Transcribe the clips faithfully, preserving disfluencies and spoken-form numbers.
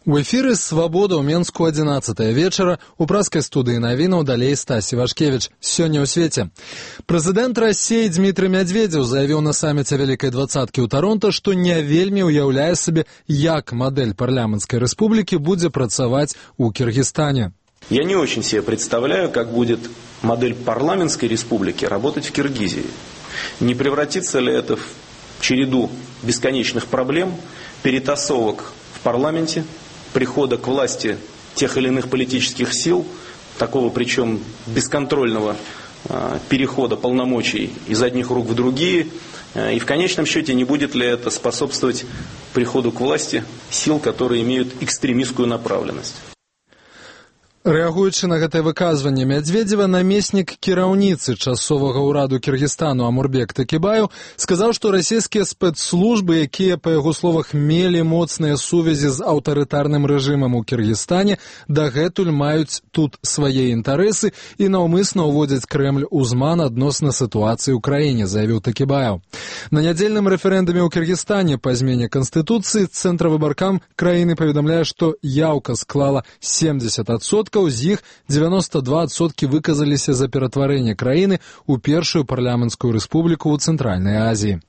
У эфіры «Свабода» ў Менску адзінаццатая вечара. У праскай студыі навінаў далей Стась Івашкевіч. Сёння ў свеце. Прэзідэнт Расіі Дмітрый Мядзведзеў заявіў на саміце Вялікай двадцаткі ў Таронта, што не вельмі ўяўляе сабе, як мадэль парламенцкай рэспублікі будзе працаваць у Киргизстане. Я не очень себе представляю, как будет модель парламентской республики работать в Киргизии. Не превратится ли это в череду бесконечных проблем, перетасовок в парламенте, прихода к власти тех или иных политических сил, такого причем бесконтрольного э, перехода полномочий из одних рук в другие, э, и в конечном счете не будет ли это способствовать приходу к власти сил, которые имеют экстремистскую направленность. Рэагуючы на гэтае выказванне Мядзведзева, намеснік кіраўніцы часовага ўраду Кіргізстану Амурбек Такібаев сказаў, што расійскія спецслужбы, якія, па яго словах, мелі моцныя сувязі з аўтарытарным рэжымам у Кіргізстане, дагэтуль маюць тут свае інтарэсы і наўмысна ўводзяць Крэмль у зман адносна сітуацыі ў краіне, заявіў Такібаев. На нядзельным рэферэндуме ў Кіргізстане па змене канстытуцыі цэнтравыбаркам краіны паведамляе, што яўка склала семьдесят адсоткаў, з іх девяносто два адсоткі выказаліся за ператварэнне краіны ў першую парламенцкую рэспубліку ў Цэнтральнай Азіі.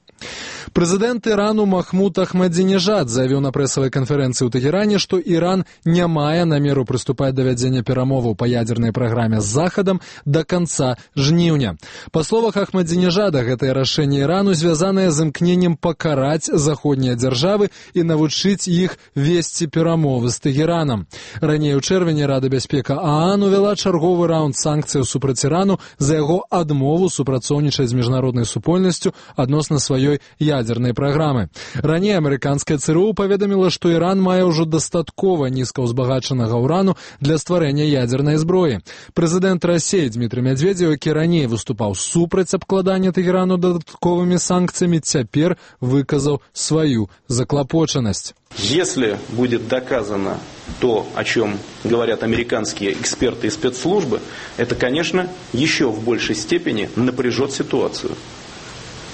Прэзідэнт Ірану Махмуд Ахмадзінежад заявіў на прэсавай канферэнцыі ў Тэгеране, што Іран не мае намеру прыступаць да вядзення перамоваў па ядзернай праграме з Захадам да канца жніўня. Па словах Ахмадзінежада, гэтае рашэнне Ірану звязанае з імкненнем пакараць заходнія дзяржавы і навучыць іх весці перамовы з Тэгеранам. Раней у чэрвені Рада бяспека ААН увяла чарговы раунд санкцыяў супраць Ірану за яго адмову супрацоўнічаць з міжнароднай супольнасцю адносна сваёй ядерной праграмы. Раней амерыканская ЦРУ паведаміла, што Іран мае ўжо дастаткова нізкаўзбагачанага ўрану для стварэння ядернай зброі. Прэзідэнт Расіі Дмітрый Мядзведзеў, які раней выступаў супраць абкладання Тэгэрану дадатковымі санкцыямі, цяпер выказаў сваю заклапочанасць. Если будет доказано то, о чем говорят американские эксперты и спецслужбы, это, конечно, еще в большей степени напряжет ситуацию.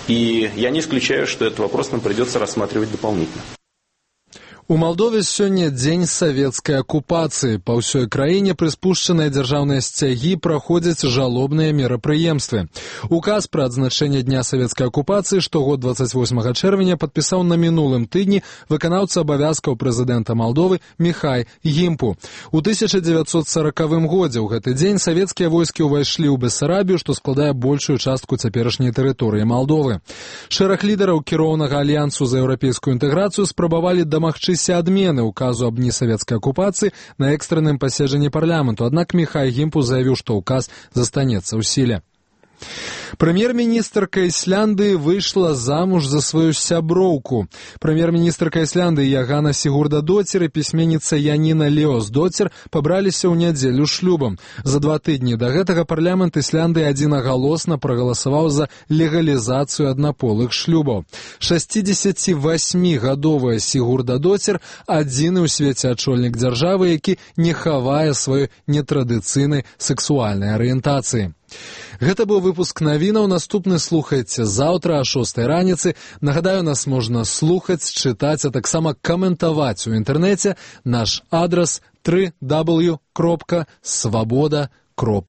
И я не исключаю, что этот вопрос нам придется рассматривать дополнительно. У Малдове сёння дзень савецкай акупацыі. Па ўсёй краіне прыспушчаныя дзяржаўныя сцягі праходзяць жалобныя мерапрыемствы. Указ пра адзначэнне дня савецкай акупацыі штогод двадцать восьмага чэрвеня падпісаў на мінулым тыдні выканаўца абавязкаў прэзідэнта Малдовы Міхай Гімпу. У тысяча дзевяцьсот саракавым годзе ў гэты дзень савецкія войскі ўвайшлі ў Бессарабію, што складае большую частку цяперашняй тэрыторыі Малдовы. Шэраг лідараў кіроўнага альянсу за еўрапейскую інтэграцыю спрабавалі дамагчыся адмены указу аб дні савецкай акупацыі на экстранным паседжанні парламенту, аднак Міхай Гімпу заявіў, што ўказ застанецца ў сіле. Прэм'ер-міністрка Ісландыі выйшла замуж за сваю сяброўку. Прэм'ер-міністрка Ісландыі Ягана Сігурдадоцір і пісьменніца Яніна Леосдоцір пабраліся ў нядзелю шлюбам. За два тыдні да гэтага парламент Ісландыі адзінагалосна прагаласаваў за легалізацыю аднаполых шлюбаў. шасцідзесяцівасьмігадовая Сігурдадоцір адзіны ў свеце ачольнік дзяржавы, які не хавае сваёй нетрадыцыйнай сексуальнай арыентацыі. Гэта быў выпуск навінаў. Наступны слухайце заўтра о шостай раніцы. Нагадаю, нас можна слухаць, чытаць, а таксама каментаваць у інтэрнэце. Наш адрас три дабл ю кропка свабода кропка